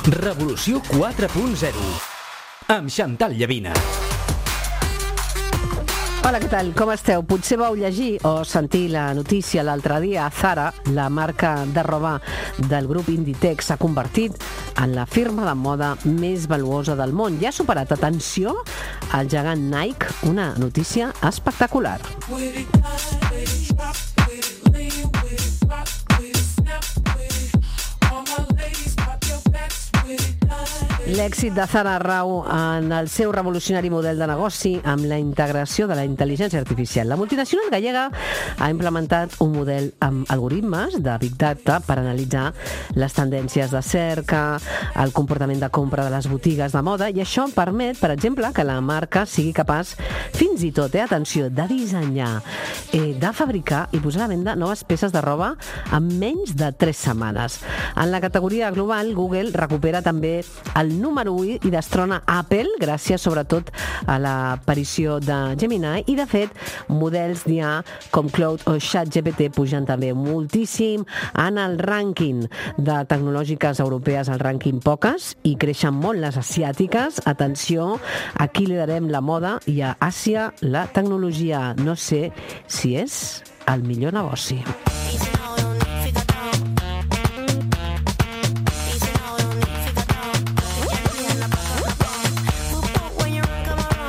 Revolució 4.0 amb Chantal Llavina. Hola, què tal? Com esteu? Potser vau llegir o sentir la notícia l'altre dia. Zara, la marca de roba del grup Inditex, s'ha convertit en la firma de moda més valuosa del món. Ja ha superat, atenció, el gegant Nike, una notícia espectacular. L'èxit de Zara rau en el seu revolucionari model de negoci amb la integració de la intel·ligència artificial. La multinacional gallega ha implementat un model amb algoritmes de Big Data per analitzar les tendències de cerca, el comportament de compra de les botigues de moda, i això permet, per exemple, que la marca sigui capaç, fins i tot, atenció, de dissenyar, de fabricar i posar a la venda noves peces de roba en menys de 3 setmanes. En la categoria global, Google recupera també el número 1 i destrona Apple, gràcies sobretot a l'aparició de Gemini, i de fet models d'IA com Claude o ChatGPT pugen també moltíssim en el rànquing de tecnològiques europees, el rànquing poques, i creixen molt les asiàtiques. Atenció, aquí liderem la moda i a Àsia la tecnologia. No sé si és el millor negoci.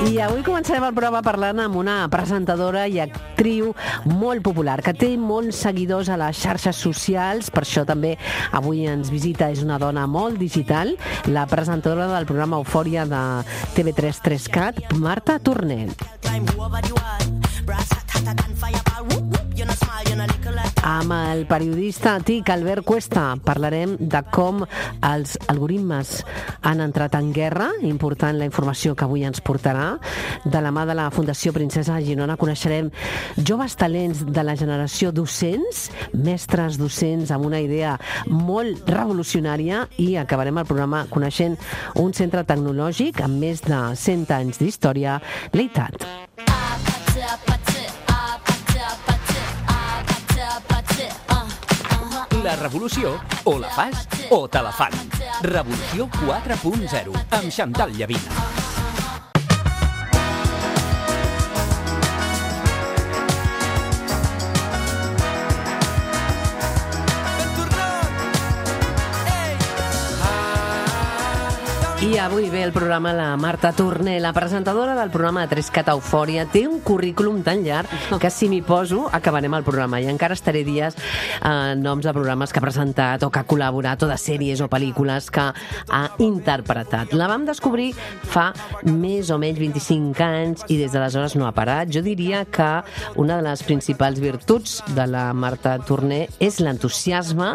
I avui començarem el programa parlant amb una presentadora i actriu molt popular, que té molts seguidors a les xarxes socials. Per això també avui ens visita, és una dona molt digital, la presentadora del programa Eufòria de TV3 3Cat, Marta Torné. Amb el periodista TIC Albert Cuesta parlarem de com els algoritmes han entrat en guerra, important la informació que avui ens portarà. De la mà de la Fundació Princesa de Girona coneixerem joves talents de la generació docents, mestres docents amb una idea molt revolucionària, i acabarem el programa coneixent un centre tecnològic amb més de 100 anys d'història, l'EITAT. La revolució, o la fas o te la fan. Revolució 4.0 amb Chantal Llavina. I avui ve el programa la Marta Torné, la presentadora del programa de 3Cat Eufòria. Té un currículum tan llarg que si m'hi poso acabarem el programa i encara estaré dies noms de programes que ha presentat o que ha col·laborat, o de sèries o pel·lícules que ha interpretat. La vam descobrir fa més o menys 25 anys i des d'aleshores no ha parat. Jo diria que una de les principals virtuts de la Marta Torné és l'entusiasme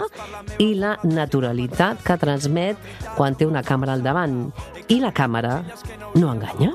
i la naturalitat que transmet quan té una càmera al davant. I la càmera no enganya.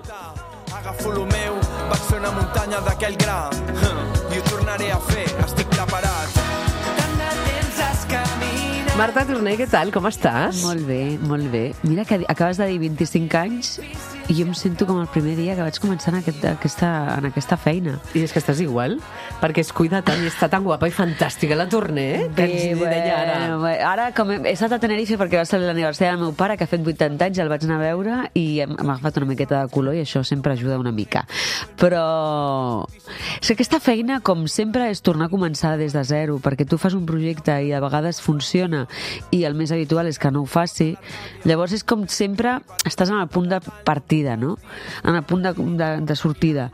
Agafo lo meu, vaig fer una muntanya d'aquell gra i ho tornaré a fer, estic preparat. Tant de temps has caminat. Marta Torné, què tal? Com estàs? Molt bé, molt bé. Mira que acabes de dir 25 anys i jo em sento com el primer dia que vaig començar en aquesta feina. I és que estàs igual, perquè es cuida tant i està tan guapa i fantàstica la Torné, que ens deia ara. Ara, com he estat a Tenerife perquè va ser l'aniversari del meu pare, que ha fet 80 anys, el vaig anar a veure i m'ha agafat una miqueta de color i això sempre ajuda una mica. Però és que aquesta feina, com sempre, és tornar a començar des de zero, perquè tu fas un projecte i a vegades funciona i el més habitual és que no ho faci. Llavors és com sempre estàs en el punt de partida, no? En el punt de sortida.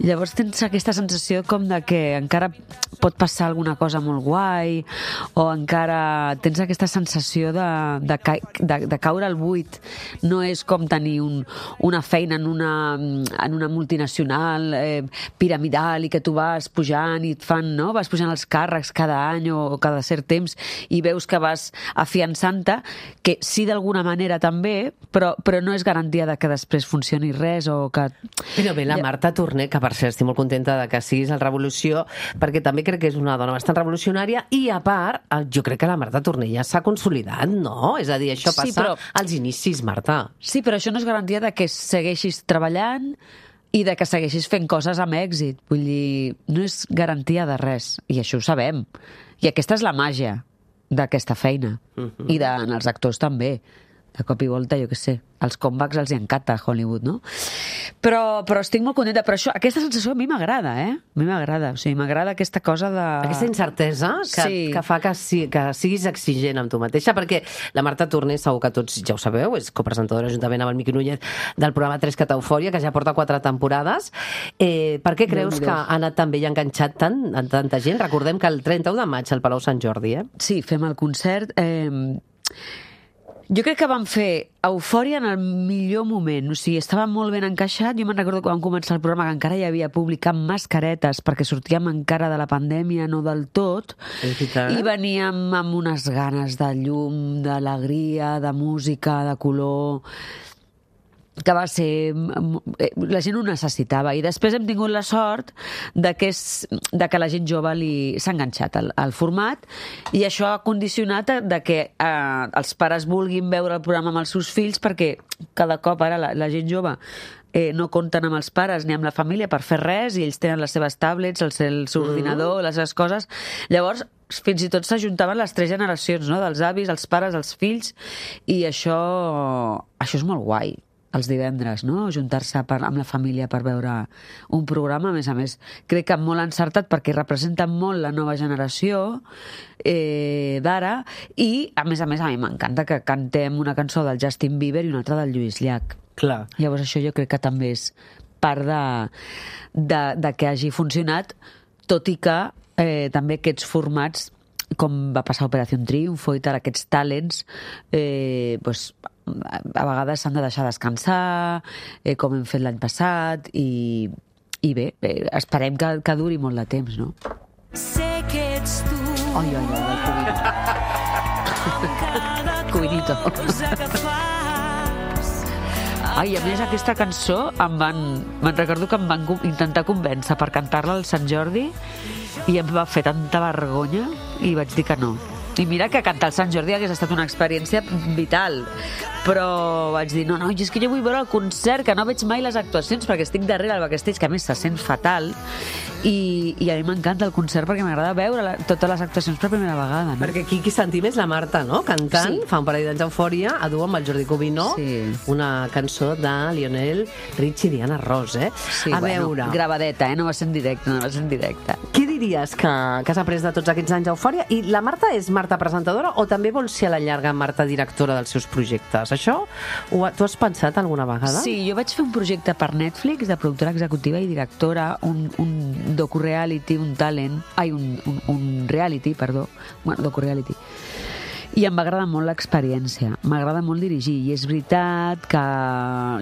Llavors tens aquesta sensació com de que encara pot passar alguna cosa molt guai, o encara tens aquesta sensació de caure al buit. No és com tenir una feina en una multinacional piramidal i que tu vas pujant i et fan, no? Vas pujant els càrrecs cada any o cada cert temps i veus que vas afiançant-te, que sí d'alguna manera també, però no és garantia de que després funcioni res o que... Però bé, la Marta Torné, que per cert estic molt contenta de que siguis al Revolució, perquè també crec que és una dona bastant revolucionària i a part, jo crec que la Marta Torné ja s'ha consolidat, no? És a dir, això passa als inicis, Marta. Sí, però això no és garantia de que segueixis treballant i de que segueixis fent coses amb èxit. Vull dir, no és garantia de res, i això ho sabem. I aquesta és la màgia d'aquesta feina. I dels actors també. de cop i volta, jo què sé, els comebacks els hi encanta a Hollywood, no? Però estic molt contenta. Però aquesta sensació a mi m'agrada, A mi m'agrada. O sigui, m'agrada aquesta cosa de... Aquesta incertesa que fa que siguis exigent amb tu mateixa, perquè la Marta Torner, segur que tots ja ho sabeu, és copresentadora juntament amb el Miqui Núñez del programa 3 Cat Eufòria, que ja porta 4 temporades. Per què creus que ha anat tan bé i ha enganxat tanta gent? Recordem que el 31 de maig al Palau Sant Jordi, Sí, fem el concert... Jo crec que vam fer Eufòria en el millor moment, o sigui, estava molt ben encaixat. Jo me'n recordo quan vam començar el programa que encara hi havia públic amb mascaretes perquè sortíem encara de la pandèmia, no del tot, i veníem amb unes ganes de llum, d'alegria, de música, de color, que va ser... La gent ho necessitava. I després hem tingut la sort de que la gent jove s'ha enganxat al format, i això ha condicionat de que els pares vulguin veure el programa amb els seus fills, perquè cada cop ara la gent jove no compten amb els pares ni amb la família per fer res, i ells tenen les seves tablets, el seu ordinador, les seves coses. Llavors, fins i tot s'ajuntaven les 3 generacions, no? Dels avis, els pares, els fills, i això és molt guai. Els divendres, no? Juntar-se amb la família per veure un programa, a més, crec que molt encertat, perquè representa molt la nova generació d'ara, i a més, a mi m'encanta que cantem una cançó del Justin Bieber i una altra del Lluís Llach. Clar. Llavors això jo crec que també és part de que hagi funcionat, tot i que també aquests formats, com va passar a Operació Triunfo i tal, aquests talents, a vegades s'han de deixar descansar, com hem fet l'any passat, i bé, esperem que duri molt de temps, no? Sé que ets tu. Oi, el Cuinito. Ai, a més, aquesta cançó me'n recordo que em van intentar convèncer per cantar-la al Sant Jordi, i em va fer tanta vergonya i vaig dir que no. I mira que cantar al Sant Jordi hagués estat una experiència vital, però vaig dir, no, és que jo vull veure el concert, que no veig mai les actuacions, perquè estic darrere al backstage, que a més se sent fatal, i a mi m'encanta el concert perquè m'agrada veure totes les actuacions per primera vegada, no? Perquè qui sentim és la Marta, no? Cantant, fa un parell d'anys Eufòria, a dur amb el Jordi Cubino, una cançó de Lionel Richie i Diana Ross, Sí, bueno, gravadeta, no va ser en directe, Què diries que has après de tots aquests anys d'Eufòria? I la Marta és Marta presentadora o també vol ser a la llarga Marta directora dels seus projectes? Això t'ho has pensat alguna vegada? Sí, jo vaig fer un projecte per Netflix de productora executiva i directora, un docu-reality, un reality, docu-reality. I em va agradar molt l'experiència, m'agrada molt dirigir, i és veritat que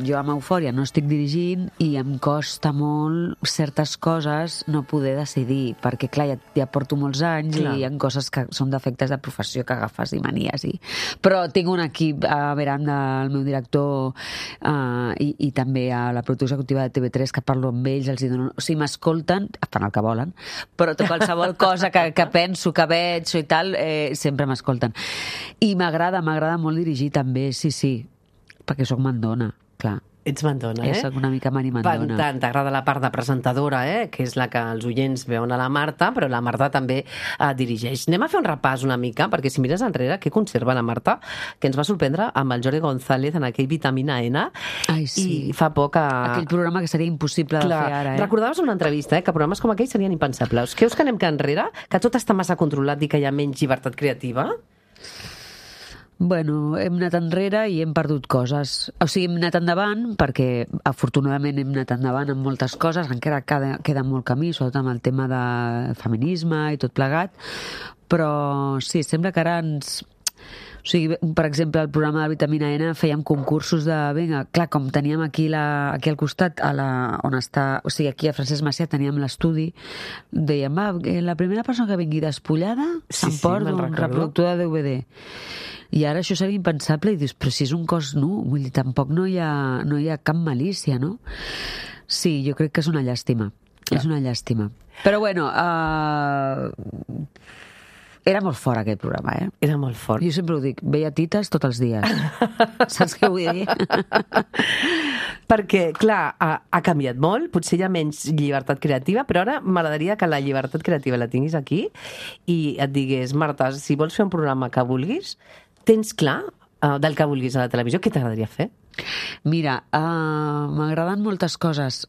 jo amb Eufòria no estic dirigint i em costa molt certes coses no poder decidir, perquè clar, ja porto molts anys, i hi ha coses que són defectes de professió que agafes i manies, però tinc un equip a Veranda, el meu director, i també a la productora executiva de TV3, que parlo amb ells, els dono... O sigui, m'escolten, fan el que volen, però qualsevol cosa que penso, que veig i tal, sempre m'escolten. I m'agrada molt dirigir també, sí, perquè sóc mandona, clar. Ets mandona, Soc una mica Mari Mandona. Tant, t'agrada la part de presentadora, que és la que els oients veuen a la Marta, però la Marta també dirigeix. Anem a fer un repàs una mica, perquè si mires enrere, què conserva la Marta? Que ens va sorprendre amb el Jordi González en aquell Vitamina N. Ai, sí. I fa poc aquell programa que seria impossible de fer ara, Recordaves una entrevista, que programes com aquells serien impensables. Creus que anem enrere? Que tot està massa controlat i que hi ha menys llibertat creativa? Bueno, hem anat enrere i hem perdut coses. O sigui, hem anat endavant perquè, afortunadament, hem anat endavant en moltes coses, encara queda molt camí, sobretot amb el tema de feminisme i tot plegat, però sí, sembla que ara ens... O sigui, per exemple, el programa de Vitamina N fèiem concursos de... Vinga, clar, com teníem aquí al costat, on està... O sigui, aquí a Francesc Macià teníem l'estudi, dèiem, la primera persona que vingui despullada s'emporta un reproductor de DVD. I ara això seria impensable, i dius, però si és un cos nu, vull dir, tampoc no hi ha cap malícia, no? Sí, jo crec que és una llàstima. És una llàstima. Però bueno, era molt fort aquest programa, Era molt fort. Jo sempre ho dic, veia tites tots els dies. Saps què vull dir? Perquè, clar, ha canviat molt, potser hi ha menys llibertat creativa, però ara m'agradaria que la llibertat creativa la tinguis aquí i et digués, Marta, si vols fer un programa que vulguis, tens clar del que vulguis a la televisió, què t'agradaria fer? Mira, m'agraden moltes coses.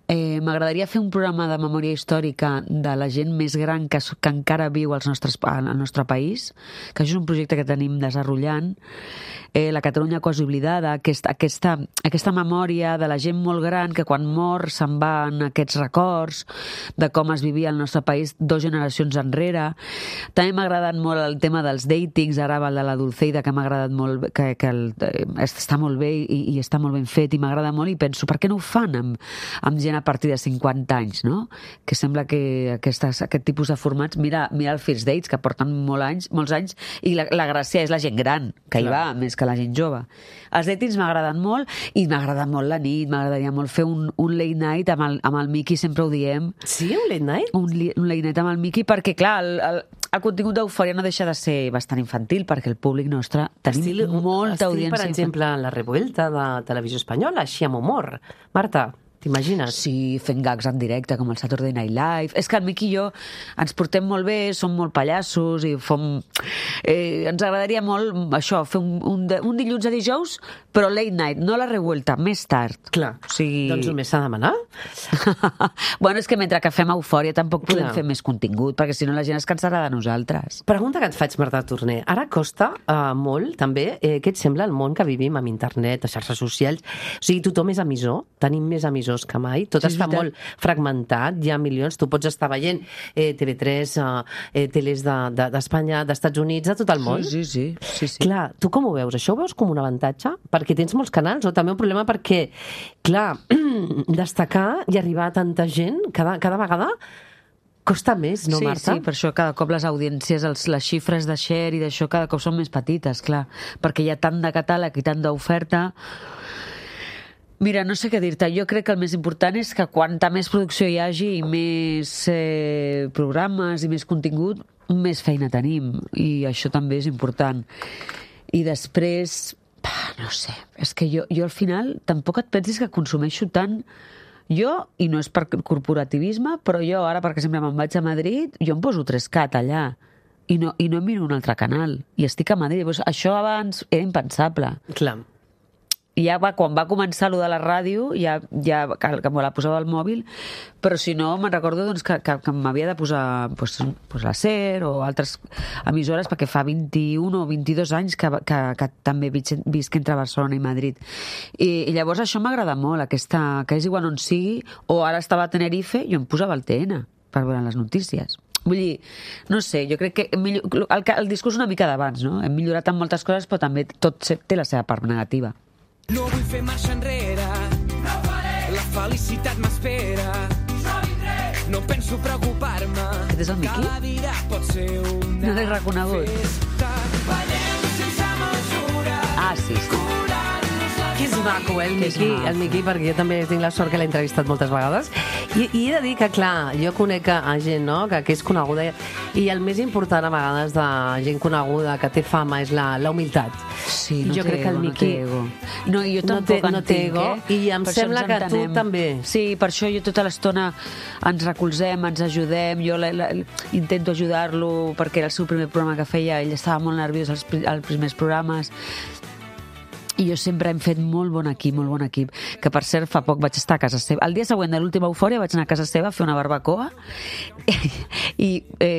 M'agradaria fer un programa de memòria històrica de la gent més gran que encara viu al nostre país, que això és un projecte que tenim desenvolupant. La Catalunya quasi oblidada, aquesta memòria de la gent molt gran que quan mor se'n van aquests records de com es vivia al nostre país 2 generacions enrere. També m'ha agradat molt el tema dels datings, ara el de la Dulceida, que m'ha agradat molt, que està molt bé i està molt ben fet i m'agrada molt, i penso, per què no ho fan amb gent a partir de 50 anys, no? Que sembla que aquest tipus de formats, mira el First Dates, que porten molts anys, i la gràcia és la gent gran, que hi va, més que la gent jove. Els datings m'agraden molt, i m'agrada molt la nit, m'agradaria molt fer un late night amb el Miqui, sempre ho diem. Sí, un late night? Un late night amb el Miqui, perquè, clar, el contingut d'Eufòria no deixa de ser bastant infantil, perquè el públic nostre tenim molta audiència. Per exemple, la Revuelta de Televisió Espanyola, així amb humor. Marta, t'imagines? Sí, fent gags en directe, com el Saturday Night Live. És que el Miqui i jo ens portem molt bé, som molt pallassos i ens agradaria molt això, fer un dilluns a dijous, però late night, no la Revuelta, més tard. Clar, doncs només s'ha de demanar. Bueno, és que mentre que fem Eufòria tampoc podem fer més contingut, perquè si no la gent es cansarà de nosaltres. Pregunta que et faig, Marta Torner. Ara costa molt, també, què et sembla el món que vivim amb internet, a xarxes socials? O sigui, tothom és emissor, tenim més emissors que mai, tot està molt fragmentat, hi ha milions, tu pots estar veient TV3, teles d'Espanya, d'Estats Units, de tot el món. Sí. Clar, tu com ho veus? Això ho veus com un avantatge? Perquè tens molts canals, o també un problema perquè, clar, destacar i arribar a tanta gent cada vegada costa més, no, Marta? Sí, per això cada cop les audiències, les xifres de share i d'això cada cop són més petites, clar, perquè hi ha tant de catàleg i tant d'oferta. Mira, no sé què dir-te. Jo crec que el més important és que quanta més producció hi hagi i més programes i més contingut, més feina tenim. I això també és important. I després, no sé, és que jo al final tampoc et pensis que consumeixo tant. Jo, i no és per corporativisme, però jo ara, perquè sempre me'n vaig a Madrid, jo em poso 3Cat allà. I no em miro un altre canal. I estic a Madrid. Això abans era impensable. Clar. I ja quan va començar allò de la ràdio, que me la posava al mòbil, però si no, me'n recordo que m'havia de posar la SER o altres emissores, perquè fa 21 o 22 anys que també visc entre Barcelona i Madrid. I llavors això m'agrada molt, que és igual on sigui, o ara estava a Tenerife, jo em posava el TN per veure les notícies. Vull dir, no sé, jo crec que el discurs una mica d'abans, no? Hem millorat en moltes coses, però també tot té la seva part negativa. No vull fer marxa enrere, no faré. La felicitat m'espera, jo vindré. No penso preocupar-me. Aquest és el Miqui? Cada dia pot ser una no l'he reconegut. festa. Ballem sense mesura. Sí. Que és maco, el Miqui, perquè jo també tinc la sort que l'he entrevistat moltes vegades. I he de dir que, clar, jo conec a gent, no?, que és coneguda, i el més important a vegades de gent coneguda que té fama és la humilitat. Sí, jo crec que el Miqui no, jo tampoc no té ego, i em sembla que tu també. Sí, per això jo tota l'estona ens recolzem, ens ajudem, jo intento ajudar-lo perquè era el seu primer programa que feia, ell estava molt nerviós als primers programes. I jo sempre hem fet molt bon equip, que per cert fa poc vaig estar a casa seva. El dia següent de l'última Eufòria vaig anar a casa seva a fer una barbacoa i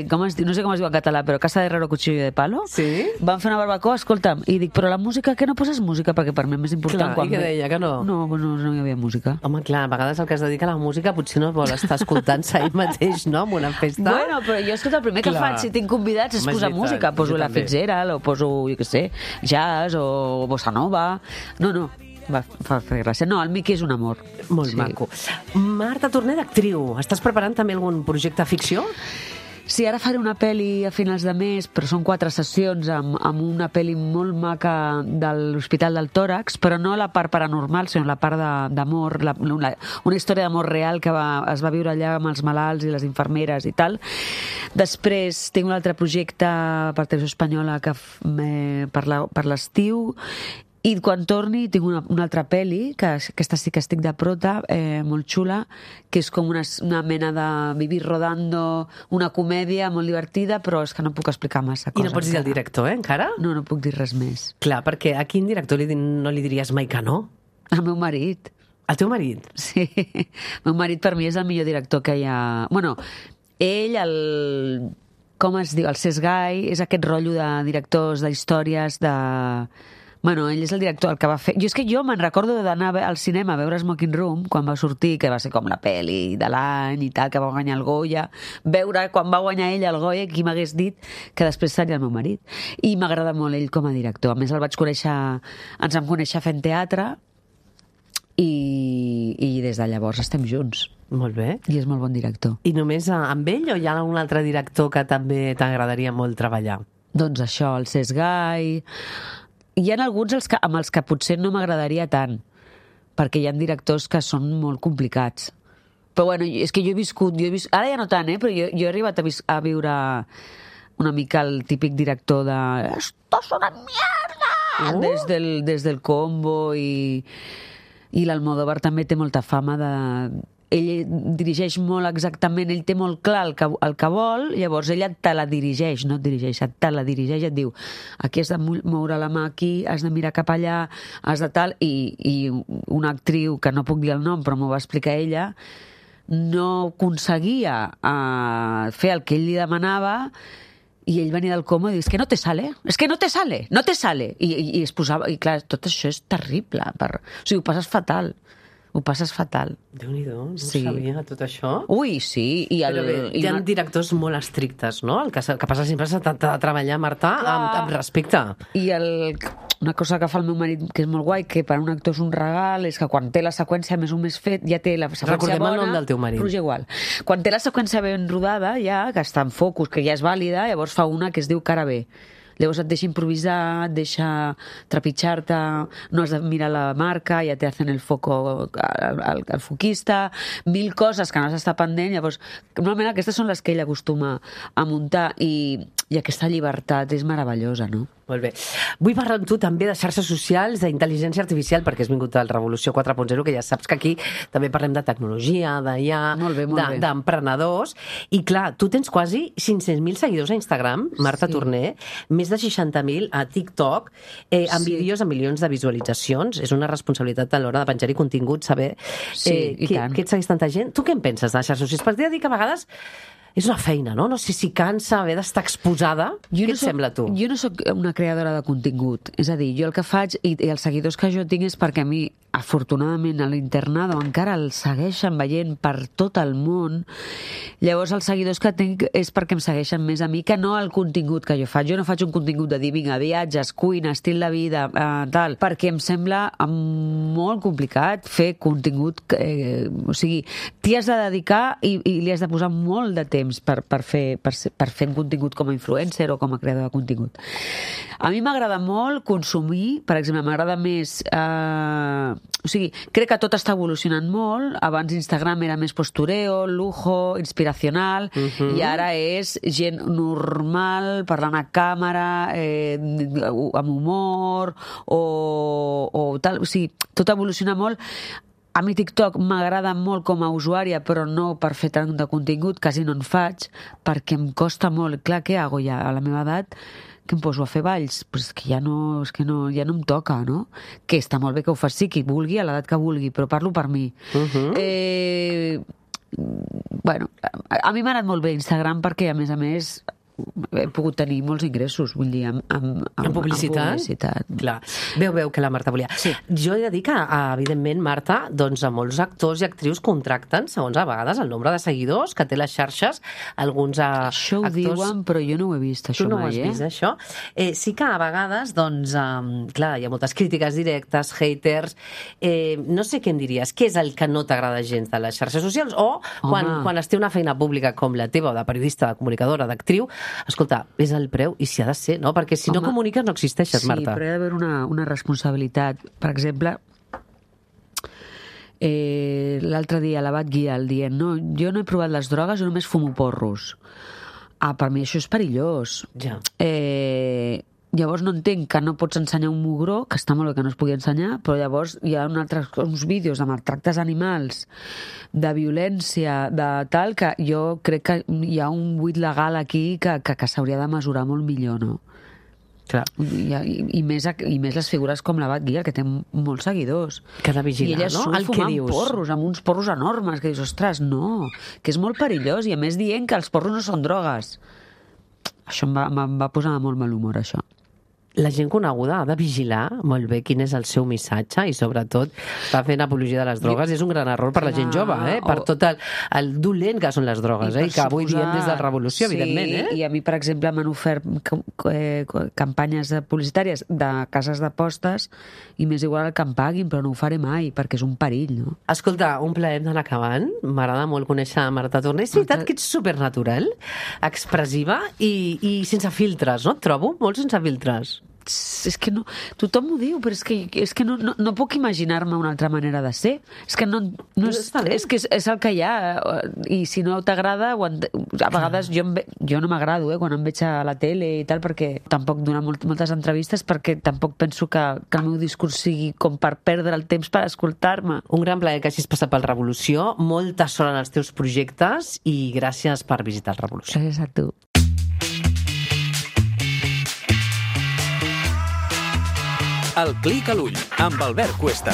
com es diu, no sé com es diu en català, però Casa de Herrero Cuchillo de Palo. Sí? Vam fer una barbacoa, escolta'm, i dic, però la música, què no poses música? Perquè per mi és més important. Clar, i què deia, que no? No hi havia música. Home, clar, a vegades el que es dedica a la música potser no vol estar escoltant-se ell mateix, no?, en una festa. Bueno, però jo, escolta, el primer que faig si tinc convidats és posar música. Poso la Fitzgerald, o poso, jo què sé, jazz, o bossa nova. No, va fer gràcia. No, el Miqui és un amor. Molt maco. Marta Torner, d'actriu. Estàs preparant també algun projecte de ficció? Sí, ara faré una pel·li a finals de mes, però són 4 sessions amb una pel·li molt maca de l'Hospital del Tòrax, però no la part paranormal, sinó la part d'amor, una història d'amor real que es va viure allà amb els malalts i les infermeres i tal. Després tinc un altre projecte per Televisió Espanyola per l'estiu, I quan torni tinc una altra pel·li, que aquesta sí que estic de prota, molt xula, que és com una mena de Vivir rodando, una comèdia molt divertida, però és que no puc explicar massa coses. I no pots dir el director, encara? No puc dir res més. Clar, perquè a quin director no li diries mai que no? Al meu marit. Al teu marit? Sí. El meu marit per mi és el millor director que hi ha... Bueno, ell, com es diu, el Sesgai, és aquest rotllo de directors, d'històries, de... Bueno, ell és el director, el que va fer... És que jo me'n recordo d'anar al cinema a veure Smoking Room, quan va sortir, que va ser com la pel·li de l'any i tal, que va guanyar el Goya. Veure quan va guanyar ell el Goya, qui m'hagués dit que després seria el meu marit. I m'agrada molt ell com a director. A més, el vaig conèixer... Ens vam conèixer fent teatre i des de llavors estem junts. Molt bé. I és molt bon director. I només amb ell o hi ha algun altre director que també t'agradaria molt treballar? Doncs això, el Sesgai... Hi ha alguns amb els que potser no m'agradaria tant, perquè hi ha directors que són molt complicats. Però bueno, és que jo he viscut... Ara ja no tant, però jo he arribat a viure una mica el típic director de... Esto es una mierda! Des del Combo i l'Almodóvar també té molta fama de... Ell dirigeix molt exactament, ell té molt clar el que vol, llavors ella te la dirigeix, no et dirigeix, te la dirigeix, et diu aquí has de moure la mà aquí, has de mirar cap allà, has de tal, i una actriu, que no puc dir el nom, però m'ho va explicar ella, no aconseguia fer el que ell li demanava, i ell venia del coma i diu, és que no te sale, i es posava, i clar, tot això és terrible, o sigui, ho passes fatal. Déu-n'hi-do, no sabia tot això. Ui, sí. Hi ha directors molt estrictes, no? El que passa sempre és de treballar, Marta, amb respecte. I una cosa que fa el meu marit, que és molt guai, que per a un actor és un regal, és que quan té la seqüència més o més fet, ja té la seqüència Recordem bona... el nom del teu marit. Roger Gual. Quan té la seqüència ben rodada, ja, que està en focus, que ja és vàlida, llavors fa una que es diu Cara B. Llavors et deixa improvisar, et deixa trepitjar-te, no has de mirar la marca, ja te hacen el foco al foquista, 1000 coses que no has d'estar pendent, llavors normalment aquestes són les que ell acostuma a muntar i aquesta llibertat és meravellosa, no? Molt bé. Vull parlar amb tu també de xarxes socials, d'intel·ligència artificial, perquè has vingut al Revolució 4.0, que ja saps que aquí també parlem de tecnologia, d'IA, d'emprenedors. I clar, tu tens quasi 500.000 seguidors a Instagram, Marta Torner, més de 60.000 a TikTok, amb vídeos amb milions de visualitzacions. És una responsabilitat a l'hora de penjar-hi contingut, saber que et segueix tanta gent. Tu què en penses de les xarxes socials? Perquè dir que a vegades és una feina, no? No sé si cansa haver d'estar exposada. Què et sembla, tu? Jo no sóc una creadora de contingut. És a dir, jo el que faig, i els seguidors que jo tinc és perquè a mi, afortunadament, a l'internado encara el segueixen veient per tot el món. Llavors, els seguidors que tinc és perquè em segueixen més a mi que no el contingut que jo faig. Jo no faig un contingut de dir, vinga, viatges, cuina, estil de vida, tal, perquè em sembla molt complicat fer contingut. O sigui, t'hi has de dedicar i li has de posar molt de temps per fer un contingut com a influencer o com a creador de contingut. A mi m'agrada molt consumir, per exemple, m'agrada més... O sigui, crec que tot està evolucionant molt. Abans Instagram era més postureo, lujo, inspiracional, i ara és gent normal, parlant a càmera, amb humor, o tal. O sigui, tot evoluciona molt. A mi TikTok m'agrada molt com a usuària, però no per fer tant de contingut, quasi no en faig, perquè em costa molt. Clar, què hago ja a la meva edat? Que em poso a fer balls? Pues ja no em toca, no? Que està molt bé que ho faci qui vulgui, a l'edat que vulgui, però parlo per mi. Bueno, a mi m'ha anat molt bé Instagram perquè, a més, he pogut tenir molts ingressos, vull dir, amb publicitat. Clar. Veu que la Marta volia. Sí. Jo he de dir que, evidentment, Marta, doncs a molts actors i actrius contracten, segons a vegades, el nombre de seguidors que té les xarxes, alguns Això ho diuen, però jo no ho he vist, això mai, Tu no ho has vist, això? Sí que a vegades, doncs, clar, hi ha moltes crítiques directes, haters, no sé què em diries, què és el que no t'agrada gens de les xarxes socials? O quan es té una feina pública com la teva, o de periodista, de comunicadora, d'actriu, escolta, és el preu i s'hi ha de ser, no? Perquè si no comuniques no existeixes, Marta. Sí, però hi ha d'haver una responsabilitat. Per exemple, l'altre dia la vaig guiar dient, no, jo no he provat les drogues, jo només fumo porros. Per mi això és perillós. Ja. Llavors no entenc que no pots ensenyar un mugró, que està molt bé que no es pugui ensenyar, però llavors hi ha uns vídeos de maltractes animals, de violència, de tal, que jo crec que hi ha un buit legal aquí que s'hauria de mesurar molt millor, no? Clar. I més les figures com la Batguia, que té molts seguidors. Que ha de vigilar, I ella no? El que fumant dius. porros, amb uns porros enormes, que dius, ostres, no, que és molt perillós, i a més dient que els porros no són drogues. Això em va posar de molt mal humor, això. La gent coneguda ha de vigilar molt bé quin és el seu missatge i, sobretot, està fent apologia de les drogues. És un gran error per la gent jove, per tot el dolent que són les drogues, i que avui diem des de la revolució, evidentment. I a mi, per exemple, m'han ofert campanyes publicitàries de cases d'apostes i m'és igual el que em paguin, però no ho faré mai, perquè és un perill, no? Escolta, un plaer d'anar acabant. M'agrada molt conèixer Marta Torner. És veritat que ets supernatural, expressiva i sense filtres, no? Et trobo molt sense filtres. És que no, tothom ho diu, però és que no puc imaginar-me una altra manera de ser. És que és que és el que hi ha, i si no t'agrada, a vegades jo no m'agrado quan em veig a la tele i tal, perquè tampoc donar moltes entrevistes, perquè tampoc penso que el meu discurs sigui com per perdre el temps per escoltar-me. Un gran plaer que hagis passat pel Revolució, molta sort en els teus projectes i gràcies per visitar el Revolució. Gràcies a tu. El Clic a l'ull, amb Albert Cuesta.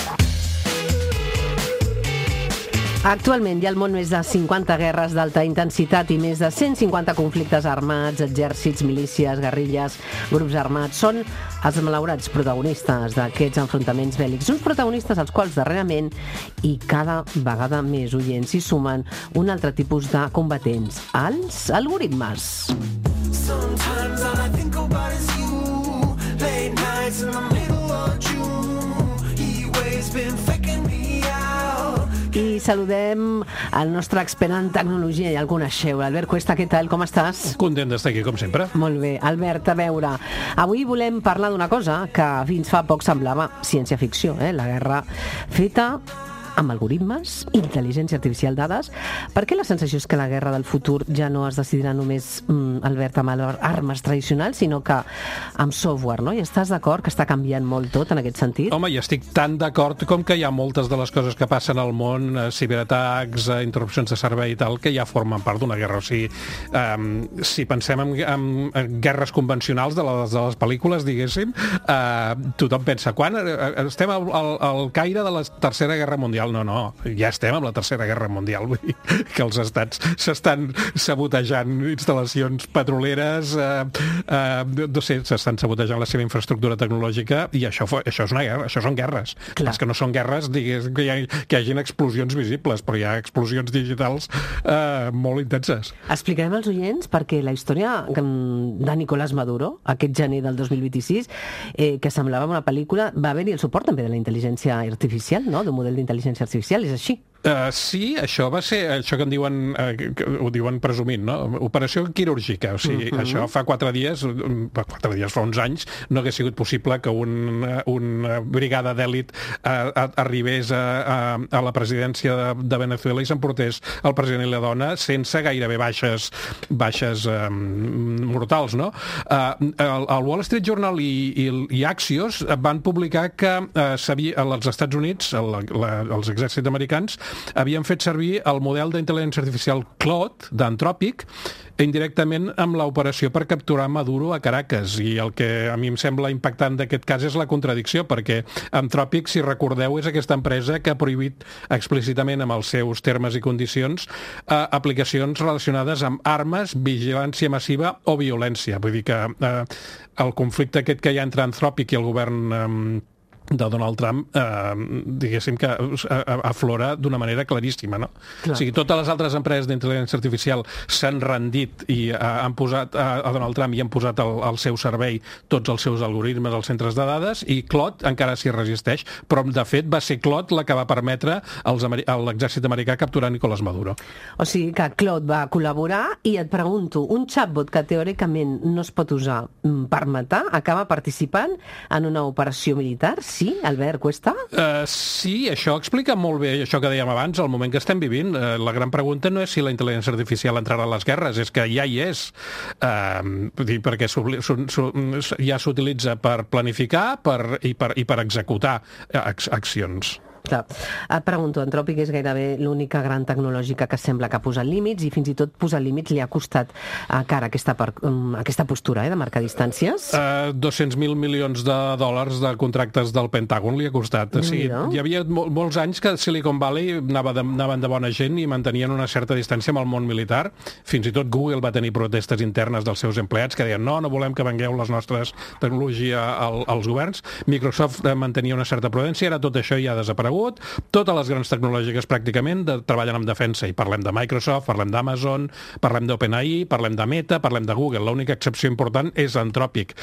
Actualment hi ha al món més de 50 guerres d'alta intensitat i més de 150 conflictes armats, exèrcits, milícies, guerrilles, grups armats. Són els malaurats protagonistes d'aquests enfrontaments bèl·lics. Uns protagonistes als quals darrerament i cada vegada més oients s'hi sumen un altre tipus de combatents, els algoritmes. Sometimes all I think about is you, late nights in the middle of June, he always been faking me out. I saludem el nostre expert en tecnologia, ja el coneixeu, Albert Cuesta, què tal, com estàs? Content d'estar aquí, com sempre. Molt bé, Albert, a veure, avui volem parlar d'una cosa que fins fa poc semblava ciència-ficció, la guerra feta amb algoritmes, intel·ligència artificial, dades. Per què la sensació és que la guerra del futur ja no es decidirà només, Albert, amb armes tradicionals, sinó que amb software, no? I estàs d'acord que està canviant molt tot en aquest sentit? Home, i estic tan d'acord com que hi ha moltes de les coses que passen al món, ciberatacs, interrupcions de servei i tal, que ja formen part d'una guerra. O sigui, si pensem en guerres convencionals de les pel·lícules, diguéssim, tothom pensa, quan estem al caire de la Tercera Guerra Mundial? No, ja estem amb la Tercera Guerra Mundial, vull dir que els estats s'estan sabotejant instal·lacions petroleres, no sé, s'estan sabotejant la seva infraestructura tecnològica, i això és una guerra, això són guerres. Clar. És que no són guerres, digués, que hi hagin explosions visibles, però hi ha explosions digitals molt intenses. Explicarem als oients perquè la història de Nicolás Maduro, aquest gener del 2026, que semblava una pel·lícula, va haver-hi el suport també de la intel·ligència artificial, no? D'un model d'intel·ligència artificial, és així? Sí, això va ser això que en diuen, ho diuen presumint, no? Operació quirúrgica, o sigui, això fa 4 dies, fa uns anys, no hagués sigut possible que una brigada d'èlit arribés a la presidència de Venezuela i s'emportés el president i la dona sense gairebé baixes mortals, no? El Wall Street Journal i Axios van publicar que als Estats Units, els exèrcits americans, havien fet servir el model d'intel·ligència artificial Claude, d'Anthropic, indirectament amb l'operació per capturar Maduro a Caracas. I el que a mi em sembla impactant d'aquest cas és la contradicció, perquè Anthropic, si recordeu, és aquesta empresa que ha prohibit explícitament amb els seus termes i condicions aplicacions relacionades amb armes, vigilància massiva o violència. Vull dir que el conflicte aquest que hi ha entre Anthropic i el govern de Donald Trump, diguéssim que aflora d'una manera claríssima, no? Clar. O sigui, totes les altres empreses d'intel·ligència artificial s'han rendit i han posat a Donald Trump i han posat al seu servei tots els seus algoritmes als centres de dades, i Claude encara s'hi resisteix, però de fet va ser Claude la que va permetre a l'exèrcit americà capturar Nicolás Maduro. O sigui que Claude va col·laborar, i et pregunto, un chatbot que teòricament no es pot usar per matar acaba participant en una operació militar sí, Albert Cuesta? Sí, això explica molt bé això que dèiem abans, el moment que estem vivint. La gran pregunta no és si la intel·ligència artificial entrarà a les guerres, és que ja hi és. Perquè ja s'utilitza per planificar i per executar accions. Clar. Et pregunto, Anthropic és gairebé l'única gran tecnològica que sembla que ha posat límits i fins i tot posar límits li ha costat cara aquesta postura de marcar distàncies? 200.000 milions de dòlars de contractes del Pentàgon li ha costat. Sí, hi havia molts anys que Silicon Valley anaven de bona gent i mantenien una certa distància amb el món militar. Fins i tot Google va tenir protestes internes dels seus empleats que deien no volem que vengueu les nostres tecnologia als governs. Microsoft mantenia una certa prudència, ara tot això ja ha desaparegut. Totes les grans tecnològiques pràcticament treballen amb defensa i parlem de Microsoft, parlem d'Amazon, parlem d'OpenAI, parlem de Meta, parlem de Google. L'única excepció important és Anthropic.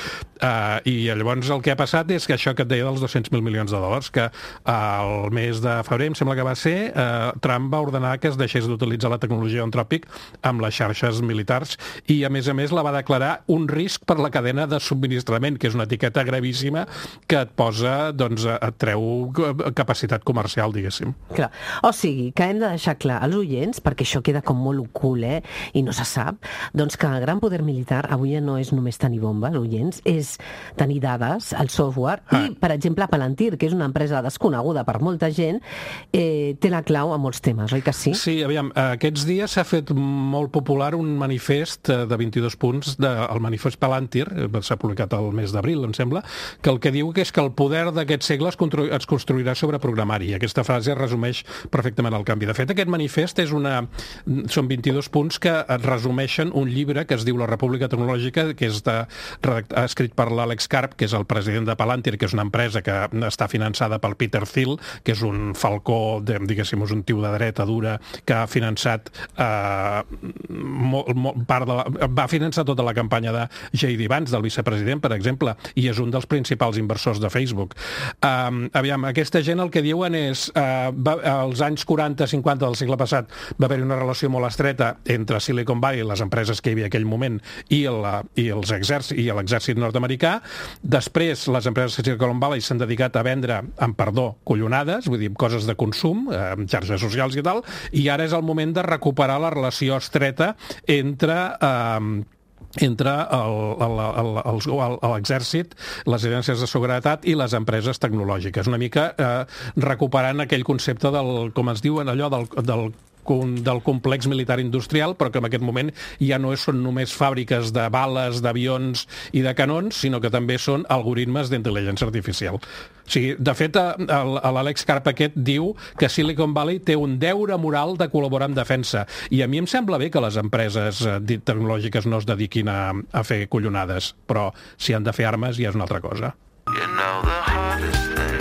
I llavors el que ha passat és que això que et deia dels 200.000 milions de dòlars, que al mes de febrer, em sembla que va ser, Trump va ordenar que es deixés d'utilitzar la tecnologia Anthropic amb les xarxes militars i a més la va declarar un risc per la cadena de subministrament, que és una etiqueta gravíssima que et posa, doncs, et treu capacitat comercial, diguéssim. Clar. O sigui, que hem de deixar clar als oients, perquè això queda com molt ocult, i no se sap, doncs que el gran poder militar avui no és només tenir bombes, oients, és tenir dades, el software, i, per exemple, Palantir, que és una empresa desconeguda per molta gent, té la clau a molts temes, oi que sí? Sí, aviam, aquests dies s'ha fet molt popular un manifest de 22 punts, el manifest Palantir, s'ha publicat el mes d'abril, em sembla, que el que diu que és que el poder d'aquest segle es construirà sobre programari. Aquesta frase resumeix perfectament el canvi. De fet, aquest manifest són 22 punts que resumeixen un llibre que es diu La República Tecnològica, que és escrit per l'Àlex Karp, que és el president de Palantir, que és una empresa que està finançada pel Peter Thiel, que és un falcó, diguéssim, un tio de dreta dura, que ha finançat va finançar tota la campanya de J.D. Vance, del vicepresident, per exemple, i és un dels principals inversors de Facebook. Aviam, aquesta gent el que diuen és, als anys 40-50 del segle passat va haver-hi una relació molt estreta entre Silicon Valley, les empreses que hi havia en aquell moment, i l'exèrcit nord-americà. Després, les empreses de Silicon Valley s'han dedicat a vendre, amb perdó, collonades, vull dir, coses de consum, xarxes socials i tal, i ara és el moment de recuperar la relació estreta entre l'exèrcit, les agències de seguretat i les empreses tecnològiques. Una mica recuperant aquell concepte com es diuen allò, del complex militar industrial, però que en aquest moment ja no són només fàbriques de bales, d'avions i de canons, sinó que també són algoritmes d'intel·ligència artificial. O sigui, de fet, l'Àlex Karp aquest diu que Silicon Valley té un deure moral de col·laborar en defensa. I a mi em sembla bé que les empreses tecnològiques no es dediquin a fer collonades, però si han de fer armes ja és una altra cosa. You know the hardest thing.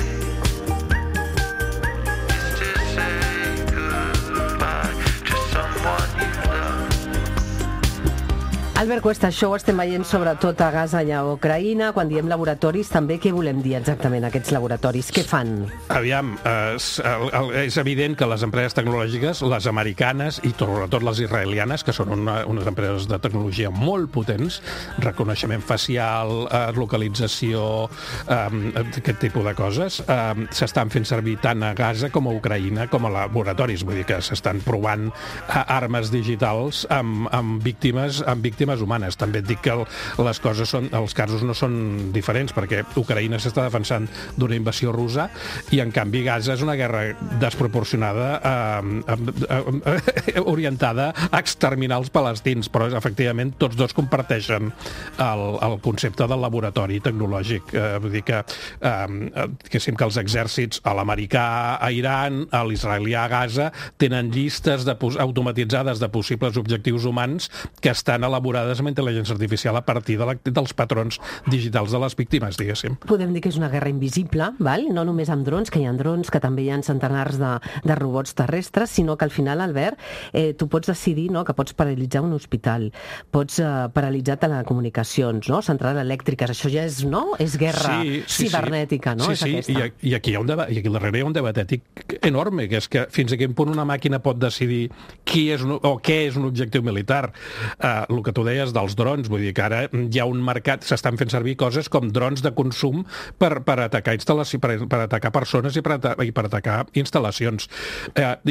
Albert Cuesta, això ho estem veient sobretot a Gaza i a Ucraïna. Quan diem laboratoris, també què volem dir exactament, aquests laboratoris? Què fan? Aviam, és evident que les empreses tecnològiques, les americanes i sobretot les israelianes, que són unes empreses de tecnologia molt potents, reconeixement facial, localització, aquest tipus de coses, s'estan fent servir tant a Gaza com a Ucraïna com a laboratoris. Vull dir que s'estan provant armes digitals amb víctimes humanes. També et dic que els casos no són diferents, perquè Ucraïna s'està defensant d'una invasió russa i, en canvi, Gaza és una guerra desproporcionada orientada a exterminar els palestins, però, efectivament, tots dos comparteixen el concepte del laboratori tecnològic. Vull dir que els exèrcits, a l'americà a Iran, a l'israelià a Gaza, tenen llistes automatitzades de possibles objectius humans que estan elaborades amb intel·ligència artificial a partir dels patrons digitals de les víctimes, diguéssim. Podem dir que és una guerra invisible, val? No només amb drons, que hi ha drons, que també hi ha centenars de robots terrestres, sinó que al final, Albert, tu pots decidir, no?, que pots paralitzar un hospital, pots paralitzar telecomunicacions, no?, centrals elèctriques. Això ja és, no?, és guerra cibernètica, no? Sí, i aquí al darrere hi ha un debat ètic enorme, que és que fins a quin punt una màquina pot decidir què és un objectiu militar. El que tu deies, dels drons, vull dir que ara hi ha un mercat, s'estan fent servir coses com drons de consum per atacar per atacar persones i per atacar instal·lacions.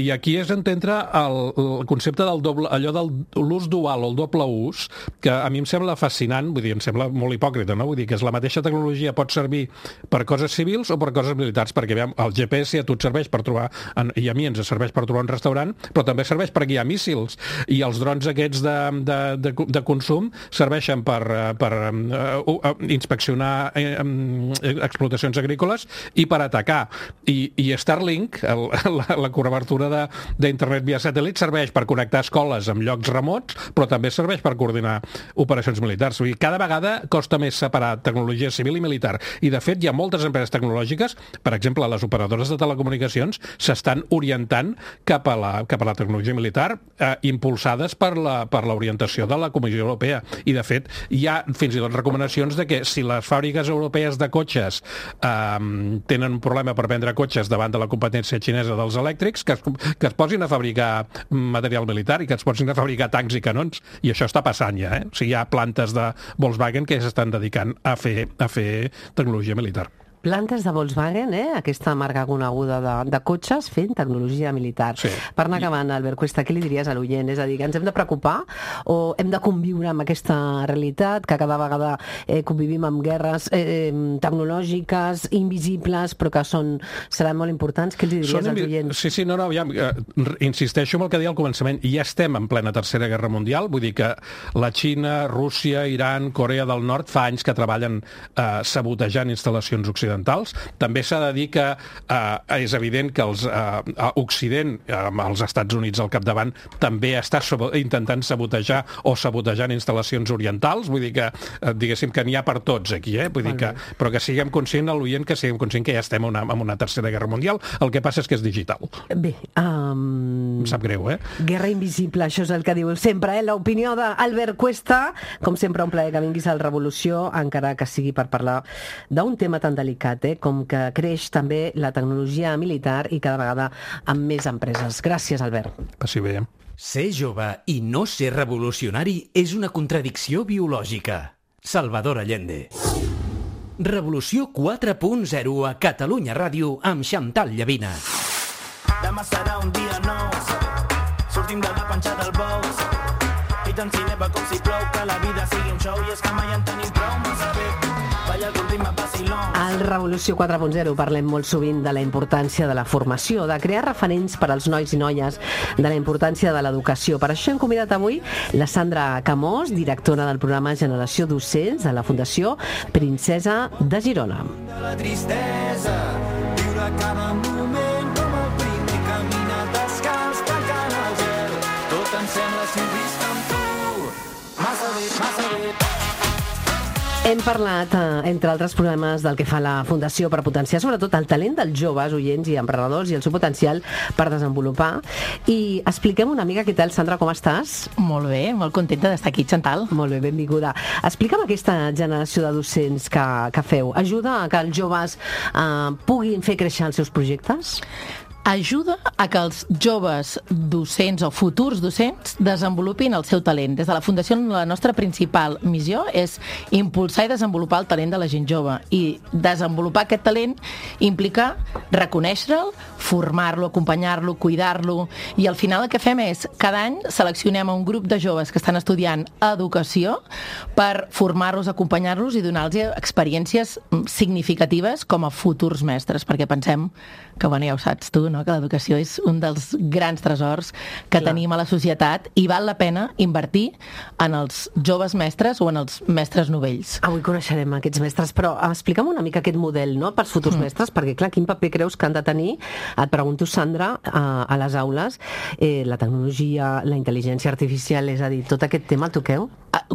I aquí és entendre el concepte del doble, allò de l'ús dual o el doble ús, que a mi em sembla fascinant, vull dir, em sembla molt hipòcrita, no? Vull dir que és la mateixa tecnologia pot servir per coses civils o per coses militars, perquè el GPS a tu et serveix per trobar, i a mi ens serveix per trobar un restaurant, però també serveix per guiar míssils, i els drons aquests de consum serveixen per inspeccionar explotacions agrícoles i per atacar. I Starlink, la cobertura d'internet via satèl·lit, serveix per connectar escoles amb llocs remots, però també serveix per coordinar operacions militars. Vull dir, cada vegada costa més separar tecnologia civil i militar. I, de fet, hi ha moltes empreses tecnològiques, per exemple, les operadores de telecomunicacions, s'estan orientant cap a la tecnologia militar, impulsades per l'orientació de la Comissió Europea. I, de fet, hi ha fins i tot recomanacions de que si les fàbriques europees de cotxes tenen un problema per vendre cotxes davant de la competència xinesa dels elèctrics, que es posin a fabricar material militar i que es posin a fabricar tancs i canons. I això està passant ja, O sigui, hi ha plantes de Volkswagen que s'estan dedicant a fer tecnologia militar. Plantes de Volkswagen, aquesta marca coneguda de cotxes fent tecnologia militar. Sí. Per anar acabant, Albert Cuesta, què li diries a l'oient? És a dir, que ens hem de preocupar o hem de conviure amb aquesta realitat, que cada vegada convivim amb guerres tecnològiques, invisibles, però que seran molt importants? Què els diries als oients? Sí, no, aviam, insisteixo en el que deia al començament. Ja estem en plena Tercera Guerra Mundial, vull dir que la Xina, Rússia, Iran, Corea del Nord fa anys que treballen sabotejant instal·lacions occidentals. També s'ha de dir que és evident que Occident, amb els Estats Units al capdavant, també està intentant sabotejar o sabotejant instal·lacions orientals, vull dir que, diguéssim, que n'hi ha per tots aquí, vull dir que, però que siguem conscients, l'oient, que siguem conscients que ja estem en una Tercera Guerra Mundial. El que passa és que és digital. Bé, em sap greu, Guerra invisible, això és el que diu sempre, l'opinió d'Albert Cuesta. Com sempre, un plaer que vinguis al Revolució, encara que sigui per parlar d'un tema tan delicat, com que creix també la tecnologia militar i cada vegada amb més empreses. Gràcies, Albert. Passi bé. Ser jove i no ser revolucionari és una contradicció biològica. Salvador Allende. Revolució 4.0 a Catalunya Ràdio amb Xantal Llavina. Demà serà un dia nou, sortim de la panxa del bou, i tant si neva com si plou, que la vida sigui un show, i és que mai en tenim prou, massa bé. Al Revolució 4.0 parlem molt sovint de la importància de la formació, de crear referents per als nois i noies, de la importància de l'educació. Per això hem convidat avui la Sandra Camós, directora del programa Generació Docents de la Fundació Princesa de Girona. La tristesa, viure cada moment com el primer camina descalç, tancant el gel. Tot em sembla si ho visc amb tu. Massa bé. Hem parlat, entre altres problemes, del que fa la Fundació per potenciar sobretot el talent dels joves, oients i emprenedors i el seu potencial per desenvolupar. I expliquem una mica què tal, Sandra, com estàs? Molt bé, molt contenta d'estar aquí, Xantal. Molt bé, benvinguda. Explica'm aquesta generació de docents que feu. Ajuda a que els joves puguin fer créixer els seus projectes? Ajuda a que els joves docents o futurs docents desenvolupin el seu talent. Des de la Fundació, la nostra principal missió és impulsar i desenvolupar el talent de la gent jove. I desenvolupar aquest talent implica reconèixer-lo, formar-lo, acompanyar-lo, cuidar-lo. I al final el que fem és, cada any seleccionem un grup de joves que estan estudiant educació per formar-los, acompanyar-los i donar-los experiències significatives com a futurs mestres, perquè pensem que, bueno, ja ho saps tu, no? Que l'educació és un dels grans tresors que tenim a la societat i val la pena invertir en els joves mestres o en els mestres novells. Avui coneixerem aquests mestres, però explica'm una mica aquest model, no?, pels futurs mestres, perquè, clar, quin paper creus que han de tenir, et pregunto, Sandra, a les aules, la tecnologia, la intel·ligència artificial, és a dir, tot aquest tema el toqueu?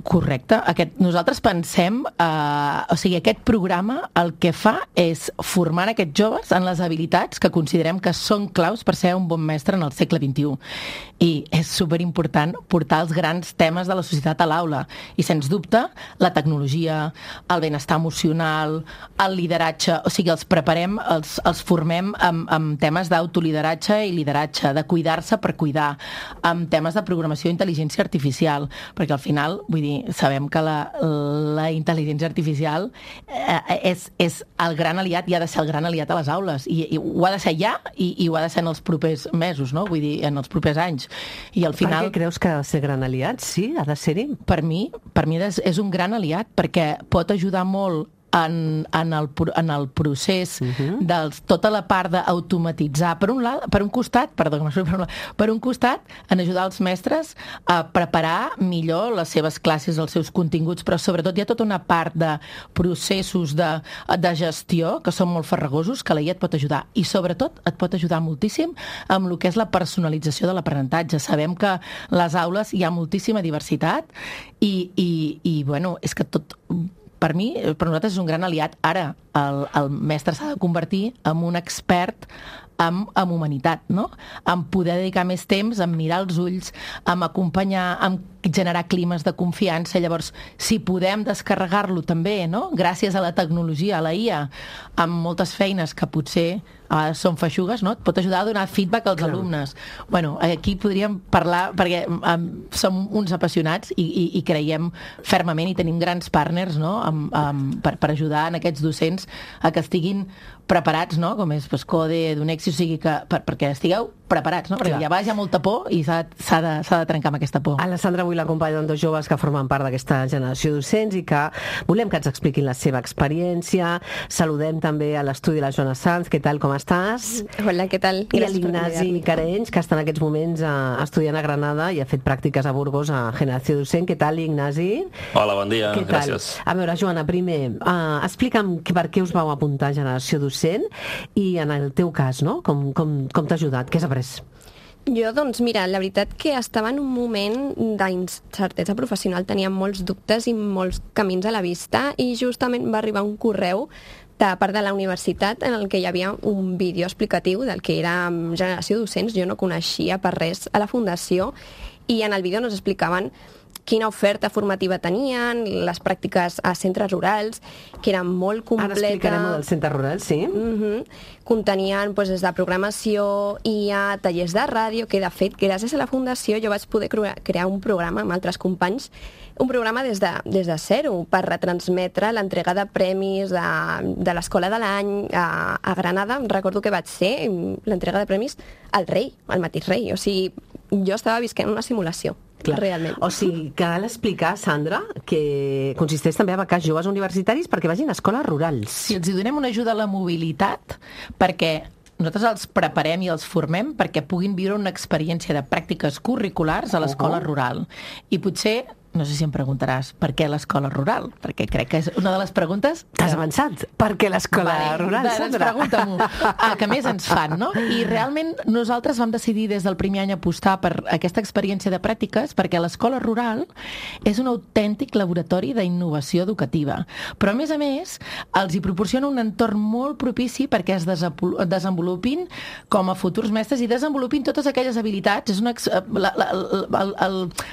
Correcte. Nosaltres pensem, o sigui, aquest programa el que fa és formar aquests joves en les habilitats que considerem que són claus per ser un bon mestre en el segle XXI. I és superimportant portar els grans temes de la societat a l'aula. I, sens dubte, la tecnologia, el benestar emocional, el lideratge, o sigui, els preparem, els formem amb temes d'autolideratge i lideratge, de cuidar-se per cuidar, amb temes de programació i intel·ligència artificial, perquè al final vull dir, sabem que la intel·ligència artificial és el gran aliat i ha de ser el gran aliat a les aules, i ho ha de ser ja i ho ha de ser en els propers mesos, no? Vull dir, en els propers anys. I al final... Per què creus que ha de ser gran aliat? Sí, ha de ser-hi? Per mi és un gran aliat, perquè pot ajudar molt en el procés de tota la part d'automatitzar, per un costat, en ajudar els mestres a preparar millor les seves classes, els seus continguts, però sobretot hi ha tota una part de processos de gestió que són molt farragosos, que la IA et pot ajudar, i sobretot et pot ajudar moltíssim amb el que és la personalització de l'aprenentatge. Sabem que a les aules hi ha moltíssima diversitat i bueno, és que tot... Per mi, per nosaltres és un gran aliat. Ara, el mestre s'ha de convertir en un expert en humanitat, no? En poder dedicar més temps, en mirar els ulls, en acompanyar, en generar climes de confiança. Llavors, si podem descarregar-lo també, no? Gràcies a la tecnologia, a la IA, amb moltes feines que potser són feixugues, no? Et pot ajudar a donar feedback als alumnes. Bueno, aquí podríem parlar, perquè som uns apassionats i creiem fermament i tenim grans partners, no? Per ajudar en aquests docents a que estiguin preparats, no? Com és CODE, Edunexi, o sigui que perquè estigueu preparats, no? Perquè ja hi ha molta por i s'ha de trencar amb aquesta por. Alessandra, avui l'acompanyen dos joves que formen part d'aquesta generació de docents i que volem que ens expliquin la seva experiència. Saludem també a l'estudi la Joana Sanz. Què tal, com estàs? Hola, què tal? I l'Ignasi Carenys, que està en aquests moments estudiant a Granada i ha fet pràctiques a Burgos a Generació Docent. Què tal, Ignasi? Hola, bon dia, gràcies. A veure, Joana, primer, explica'm per què us vau apuntar a Generació Docent i en el teu cas, no? Com t'ha ajudat? Què has après? Jo, doncs, mira, la veritat que estava en un moment d'incertesa professional, tenia molts dubtes i molts camins a la vista i justament va arribar un correu de part de la universitat en el que hi havia un vídeo explicatiu del que era Generació Docents. Jo no coneixia per res a la Fundació i en el vídeo ens explicaven quina oferta formativa tenien, les pràctiques a centres rurals, que eren molt completes. Ara explicarem dels centres rurals, sí. Contenien des de programació, IA, tallers de ràdio, que de fet, gràcies a la Fundació, jo vaig poder crear un programa amb altres companys, un programa des de zero, per retransmetre l'entrega de premis de l'Escola de l'Any a Granada. Recordo que vaig ser l'entrega de premis al rei, al mateix rei. O sigui, jo estava visquent una simulació. Clar. Realment. O sigui, cal explicar, Sandra, que consisteix també a becar joves universitaris perquè vagin a escoles rurals. Sí, els donem una ajuda a la mobilitat perquè nosaltres els preparem i els formem perquè puguin viure una experiència de pràctiques curriculars a l'escola rural. I potser, no sé si em preguntaràs per què l'escola rural, perquè crec que és una de les preguntes... T'has avançat? Per què l'escola rural, Sandra? Doncs pregunta-m'ho. Que més ens fan, no? I realment nosaltres vam decidir des del primer any apostar per aquesta experiència de pràctiques perquè l'escola rural és un autèntic laboratori d'innovació educativa. Però, a més, els hi proporciona un entorn molt propici perquè es desenvolupin com a futurs mestres i desenvolupin totes aquelles habilitats. És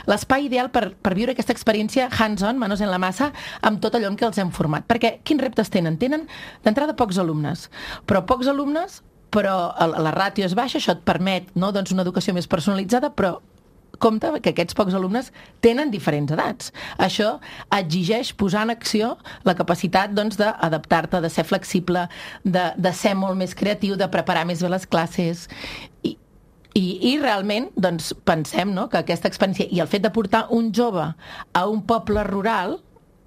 l'espai ideal per viure aquesta experiència hands-on, manos en la massa, amb tot allò en què els hem format. Perquè quins reptes tenen? Tenen d'entrada pocs alumnes, però la ràtio és baixa, això et permet una educació més personalitzada, però compte que aquests pocs alumnes tenen diferents edats. Això exigeix posar en acció la capacitat d'adaptar-te, de ser flexible, de ser molt més creatiu, de preparar més bé les classes. I realment pensem que aquesta experiència i el fet de portar un jove a un poble rural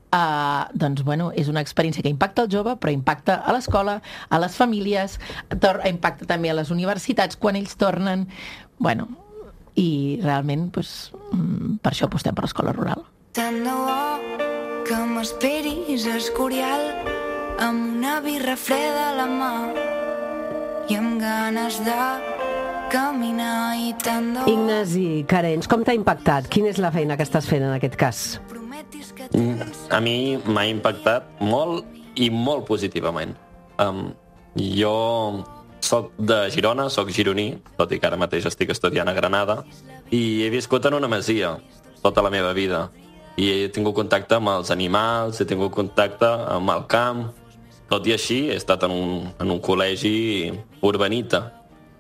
és una experiència que impacta el jove, però impacta a l'escola, a les famílies, impacta també a les universitats quan ells tornen. I realment per això apostem per l'escola rural. Tant de bo que m'esperis a Escorial amb una birra freda a la mà i amb ganes de caminar i tant de bo... Ignasi Carenys, com t'ha impactat? Quina és la feina que estàs fent en aquest cas? A mi m'ha impactat molt i molt positivament. Jo soc de Girona, soc gironí, tot i que ara mateix estic estudiant a Granada, i he viscut en una masia tota la meva vida. I he tingut contacte amb els animals, he tingut contacte amb el camp. Tot i així, he estat en un col·legi urbanita.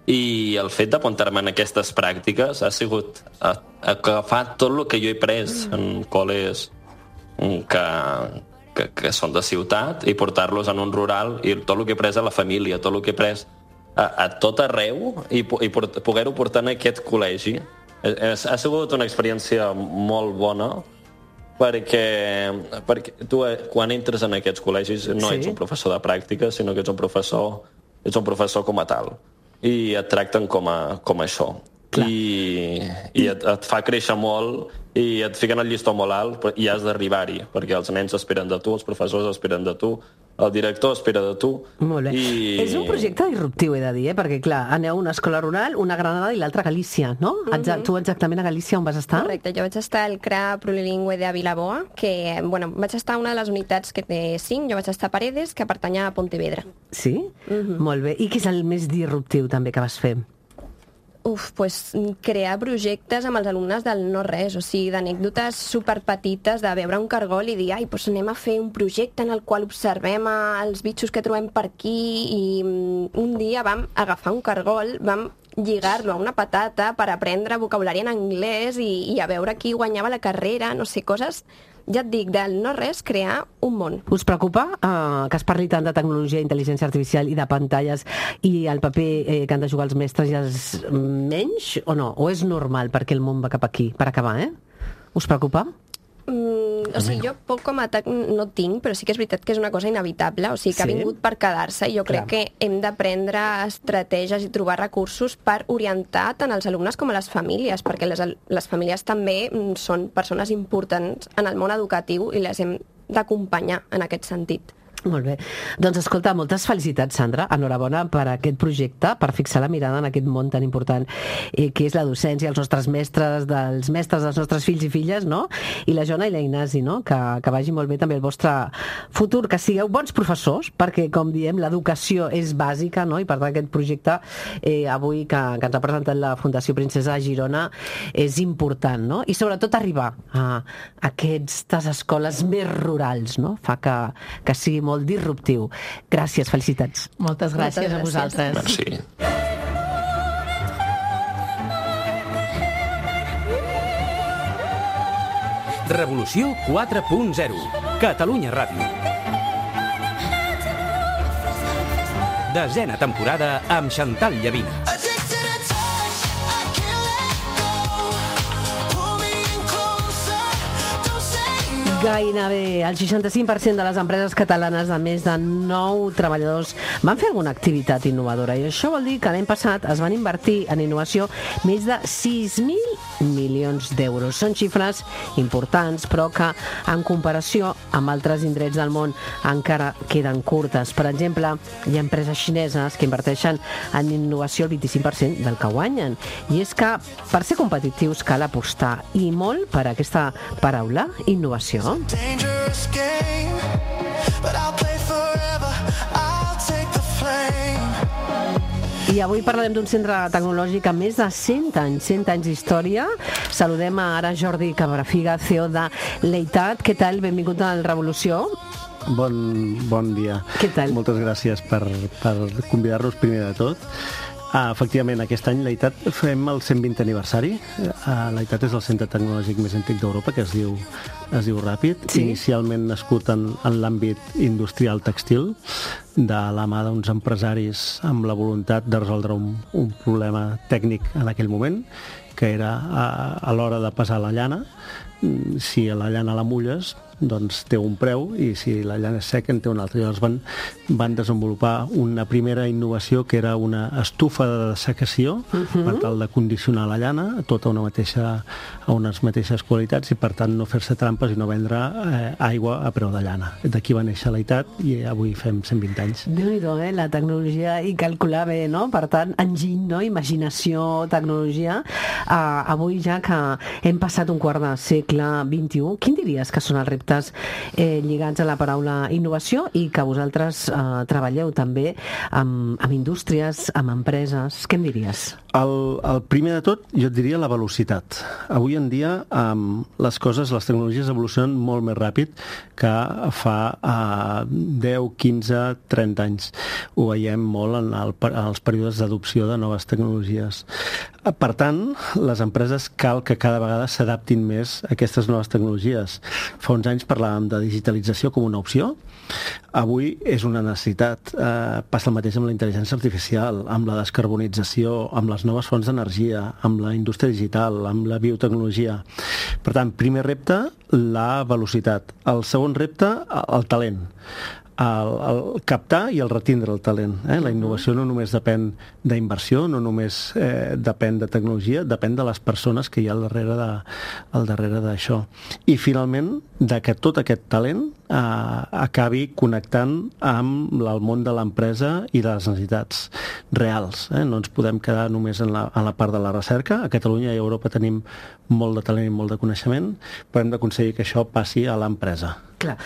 I el fet d'apuntar-me en aquestes pràctiques ha sigut agafar tot el que jo he pres en col·les que són de ciutat i portar-los en un rural, i tot el que he pres a la família, tot el que he pres a tot arreu i poder-ho portar en aquest col·legi. Ha sigut una experiència molt bona perquè tu quan entres en aquests col·legis no ets un professor de pràctica, sinó que ets un professor com a tal, i et tracten com això. I et fa créixer molt i et fiquen el llistó molt alt i has d'arribar-hi, perquè els nens esperen de tu, els professors esperen de tu, el director espera de tu. Molt bé. És un projecte disruptiu, he de dir, perquè clar, aneu a una escola rural, una a Granada i l'altra a Galícia, no? Tu exactament a Galícia on vas estar? Correcte, jo vaig estar al CRA Plurilingüe de Vilaboa, que, bueno, vaig estar a una de les unitats que té 5, jo vaig estar a Paredes, que pertanya a Pontevedra. Sí? Molt bé. I què és el més disruptiu també que vas fer? Crear projectes amb els alumnes del no-res, o sigui, d'anècdotes superpetites, de veure un cargol i dir, anem a fer un projecte en el qual observem els bitxos que trobem per aquí, i un dia vam agafar un cargol, vam lligar-lo a una patata per aprendre vocabulari en anglès i a veure qui guanyava la carrera, no sé, coses... Ja et dic, del no-res, crear un món. Us preocupa que es parli tant de tecnologia, intel·ligència artificial i de pantalles i el paper que han de jugar els mestres i els menys, o no? O és normal perquè el món va cap aquí? Per acabar, Us preocupa? O sigui, jo poc com a atac no tinc, però sí que és veritat que és una cosa inevitable, o sigui, que ha vingut per quedar-se, i jo crec que hem d'aprendre estratègies i trobar recursos per orientar tant els alumnes com a les famílies, perquè les famílies també són persones importants en el món educatiu i les hem d'acompanyar en aquest sentit. Molt bé. Doncs escolta, moltes felicitats, Sandra. Enhorabona per aquest projecte, per fixar la mirada en aquest món tan important que és la docència, els nostres mestres, dels nostres fills i filles, no? I la Joana i la Ignasi, no? Que vagi molt bé també el vostre futur, que sigueu bons professors, perquè, com diem, l'educació és bàsica, no? I per tant aquest projecte avui que ens ha presentat la Fundació Princesa de Girona és important, no? I sobretot arribar a aquestes escoles més rurals, no? Fa que sigui molt disruptiu. Gràcies, felicitats. Moltes gràcies a vosaltres. Merci. Revolució 4.0. Catalunya Ràdio. 10ª temporada amb Chantal Llavina. Gairebé el 65% de les empreses catalanes de més de 9 treballadors van fer alguna activitat innovadora, i això vol dir que l'any passat es van invertir en innovació més de 6.000 milions d'euros. Són xifres importants, però que en comparació amb altres indrets del món encara queden curtes. Per exemple, hi ha empreses xineses que inverteixen en innovació el 25% del que guanyen. I és que per ser competitius cal apostar, i molt per aquesta paraula, innovació. Dangerous game, but I'll play forever, I'll take the flame. I avui parlarem d'un centre tecnològic amb més de 100 anys d'història. Saludem ara Jordi Cabrafiga, CEO de Leitat. Què tal? Benvingut a la Revolució. Bon dia. Què tal? Moltes gràcies per convidar-nos primer de tot. Efectivament, aquest any Leitat fem el 120 aniversari. Leitat és el centre tecnològic més antic d'Europa, que es diu Ràpid. Sí. Inicialment nascut en l'àmbit industrial textil, de la mà d'uns empresaris amb la voluntat de resoldre un problema tècnic en aquell moment, que era a l'hora de pesar la llana. Si la llana la mulles, doncs té un preu, i si la llana és seca en té un altre. Llavors van desenvolupar una primera innovació que era una estufa de dessecació per tal de condicionar la llana tota a unes mateixes qualitats, i per tant no fer-se trampes i no vendre aigua a preu de llana. D'aquí va néixer Leitat i avui fem 120 anys. Déu-n'hi-do, la tecnologia, i calcular bé, no? Per tant, enginy, no? Imaginació, tecnologia. avui ja que hem passat un quart de segle XXI, quin diries que són els reptes lligats a la paraula innovació i que vosaltres treballeu també amb indústries, amb empreses? Què em diries? El primer de tot, jo et diria la velocitat. Avui en dia les tecnologies evolucionen molt més ràpid que fa 10, 15, 30 anys. Ho veiem molt en els períodes d'adopció de noves tecnologies. Per tant, les empreses cal que cada vegada s'adaptin més a aquestes noves tecnologies. Fa uns anys parlàvem de digitalització com una opció. Avui és una necessitat. Passa el mateix amb la intel·ligència artificial, amb la descarbonització, amb les noves fonts d'energia, amb la indústria digital, amb la biotecnologia. Per tant, primer repte, la velocitat. El segon repte, el talent. El captar i el retindre el talent. La innovació no només depèn d'inversió, no només depèn de tecnologia, depèn de les persones que hi ha al darrere d'això. I finalment, de que tot aquest talent acabi connectant amb el món de l'empresa i de les necessitats reals. No ens podem quedar només en la part de la recerca. A Catalunya i a Europa tenim molt de talent i molt de coneixement, però hem d'aconseguir que això passi a l'empresa. Clar.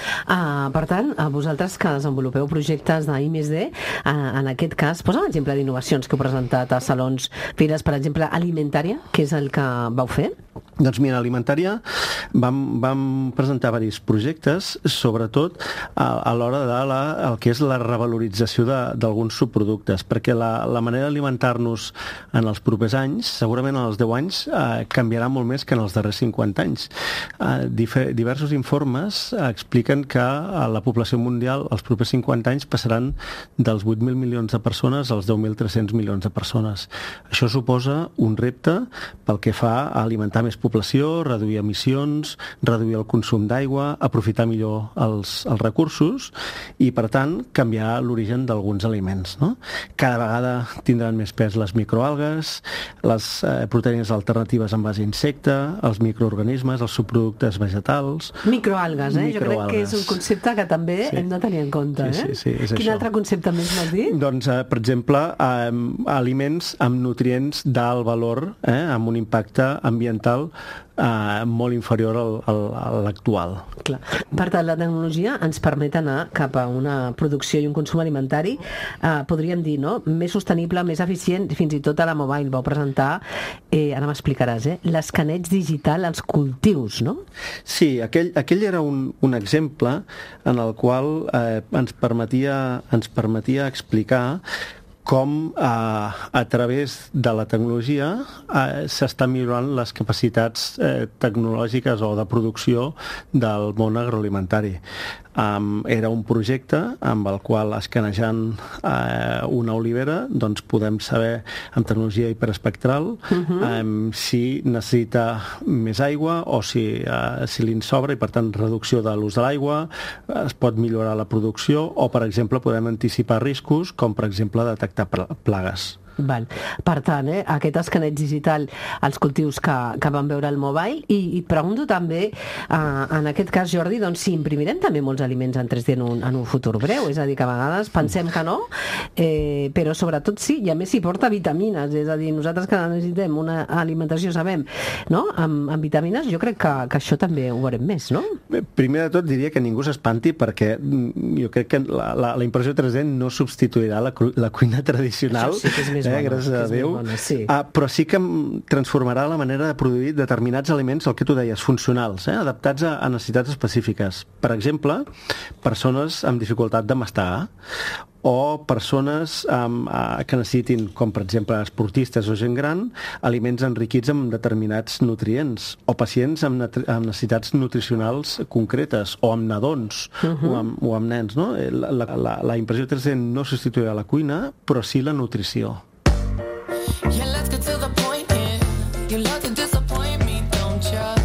Per tant, vosaltres que desenvolupeu projectes d'I+D, en aquest cas, posa un exemple d'innovacions que heu presentat a salons, fires, per exemple, Alimentària, que és el que vau fer? Doncs mira, Alimentària vam presentar diversos projectes, sobretot a l'hora de el que és la revalorització d'alguns subproductes, perquè la manera d'alimentar-nos en els propers anys, segurament en els 10 anys, canviarà molt més que en els darrers 50 anys. Diversos informes expliquen que la població mundial els propers 50 anys passaran dels 8.000 milions de persones als 10.300 milions de persones. Això suposa un repte pel que fa a alimentar més població, reduir emissions, reduir el consum d'aigua, aprofitar millor els recursos i, per tant, canviar l'origen d'alguns aliments. No? Cada vegada tindran més pes les microalgues, les proteïnes alternatives en base a insecte, els microorganismes, els subproductes vegetals... Microalgues, jo crec que és un concepte que també hem de tenir en compte. Sí, és Quin altre concepte més m'has dit? Doncs, per exemple, aliments amb nutrients d'alt valor, amb un impacte ambiental molt inferior a l'actual. Clar. Per tant, la tecnologia ens permet anar cap a una producció i un consum alimentari, podríem dir, no? Més sostenible, més eficient, fins i tot a la Mobile vau presentar, ara m'explicaràs, l'escaneig digital als cultius, no? Sí, aquell era un exemple en el qual ens permetia explicar com a través de la tecnologia s'estan millorant les capacitats tecnològiques o de producció del món agroalimentari. Era un projecte amb el qual, escanejant una olivera, doncs podem saber amb tecnologia hiperespectral si necessita més aigua o si li en sobra, i per tant reducció de l'ús de l'aigua, es pot millorar la producció o, per exemple, podem anticipar riscos com, per exemple, detectar plagues. Val. Per tant, aquest escaneig digital als cultius que van veure al Mobile, i pregunto també, en aquest cas, Jordi, doncs si imprimirem també molts aliments en 3D en un futur breu, és a dir, que a vegades pensem que no, però sobretot sí, i a més s'hi porta vitamines, és a dir, nosaltres que necessitem una alimentació, sabem, no? Amb vitamines, jo crec que això també ho veurem més, no? Primer de tot diria que ningú s'espanti, perquè jo crec que la impressió 3D no substituirà la cuina tradicional. Això sí que és més gràcies a Déu, sí. Però sí que transformarà la manera de produir determinats aliments, el que tu deies, funcionals, adaptats a necessitats específiques. Per exemple, persones amb dificultat de mastegar, o persones que necessitin, com per exemple esportistes o gent gran, aliments enriquits amb determinats nutrients, o pacients amb necessitats nutricionals concretes, o amb nadons, o amb nens. No? La impressió 3D no substituirà la cuina, però sí la nutrició. Yeah, let's get to the point, yeah. You love to disappoint me, don't ya?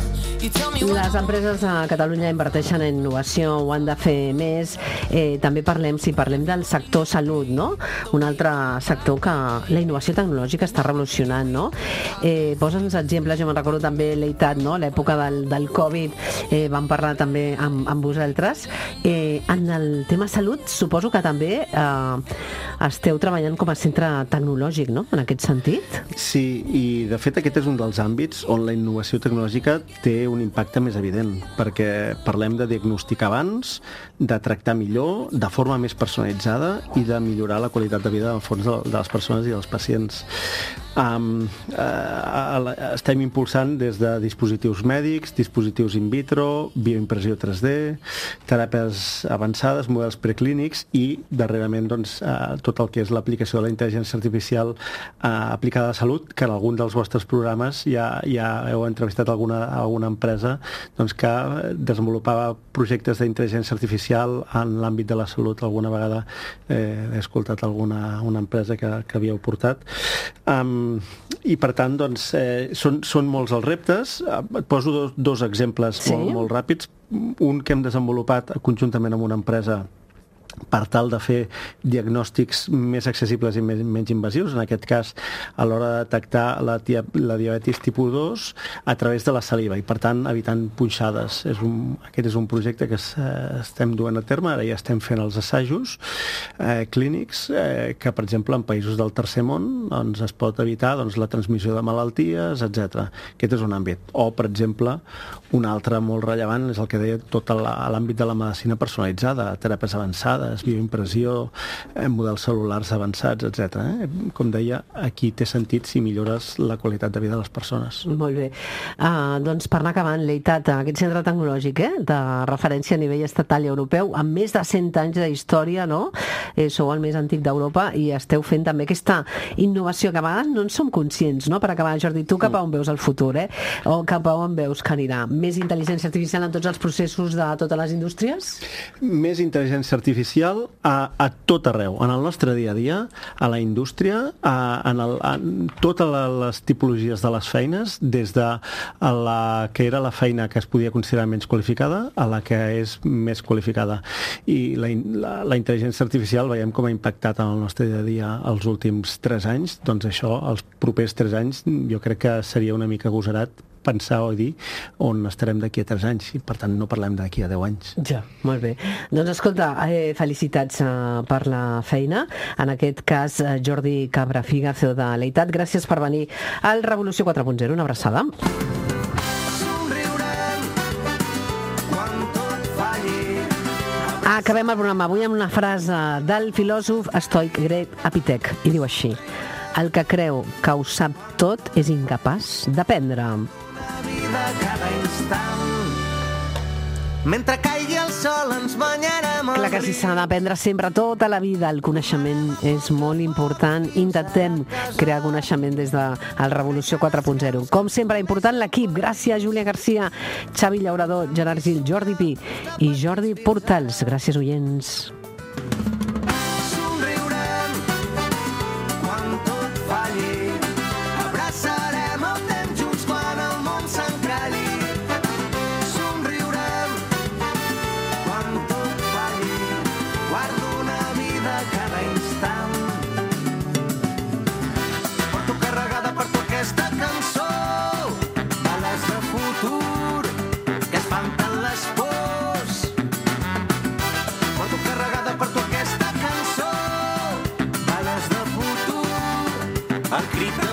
You Les empreses a Catalunya inverteixen en innovació, ho han de fer més. També parlem del sector salut, no? Un altre sector que la innovació tecnològica està revolucionant, no? Posa'ns exemples, jo me'n recordo també l'EITAT, no? L'època del Covid, vam parlar també amb vosaltres. En el tema salut, suposo que també esteu treballant com a centre tecnològic, no? En aquest sentit? Sí, i de fet aquest és un dels àmbits on la innovació tecnològica té un impacte més evident, perquè parlem de diagnosticar abans, de tractar millor, de forma més personalitzada i de millorar la qualitat de vida en el fons de les persones i dels pacients. Estem impulsant des de dispositius mèdics, dispositius in vitro, bioimpressió 3D, teràpies avançades, models preclínics i darrerament doncs, tot el que és l'aplicació de la intel·ligència artificial aplicada a la salut, que en algun dels vostres programes ja heu entrevistat alguna empresa doncs, que desenvolupava projectes d'intel·ligència artificial en l'àmbit de la salut. Alguna vegada he escoltat una empresa que havíeu portat. I per tant doncs, són molts els reptes. Et poso dos exemples molt ràpids. Un que hem desenvolupat conjuntament amb una empresa per tal de fer diagnòstics més accessibles i menys invasius, en aquest cas a l'hora de detectar la diabetis tipus 2 a través de la saliva i per tant evitant punxades. Aquest és un projecte que estem duent a terme, ara ja estem fent els assajos clínics que per exemple en països del tercer món doncs, es pot evitar la transmissió de malalties, etc. Aquest és un àmbit. O per exemple un altre molt rellevant és el que deia tot l'àmbit de la medicina personalitzada, teràpies avançades, bioimpressió, models cel·lulars avançats, etc. Com deia, aquí té sentit si millores la qualitat de vida de les persones. Molt bé. Doncs per anar acabant, l'EITAT, aquest centre tecnològic de referència a nivell estatal i europeu, amb més de 100 anys d'història, no? Sou el més antic d'Europa i esteu fent també aquesta innovació que a vegades no en som conscients, no? Per acabar, Jordi, tu cap a on veus el futur, o cap a on veus que anirà? Més intel·ligència artificial en tots els processos de totes les indústries? Més intel·ligència artificial a tot arreu, en el nostre dia a dia, a la indústria, en totes les tipologies de les feines, des de la que era la feina que es podia considerar menys qualificada a la que és més qualificada. I la intel·ligència artificial veiem com ha impactat en el nostre dia a dia els últims 3 anys, doncs això, els propers 3 anys, jo crec que seria una mica agosarat pensar o dir on estarem d'aquí a 3 anys i per tant no parlem d'aquí a 10 anys. Ja, molt bé. Doncs escolta, felicitats per la feina. En aquest cas, Jordi Cabrafiga, CEO de l'EITAT, gràcies per venir al Revolució 4.0. Una abraçada. Acabem el programa avui amb una frase del filòsof estoic grec Epitec i diu així: el que creu que ho sap tot és incapaç d'aprendre. Cada instant. Mentre caigui el sol ens banyarem al Clar que sí, s'ha d'aprendre sempre tota la vida. El coneixement és molt important. Intentem crear coneixement des de la Revolució 4.0. Com sempre, important l'equip. Gràcies, Júlia Garcia, Xavi Llaurador, Gerard Gil, Jordi Pi i Jordi Portals. Gràcies, oients. el crit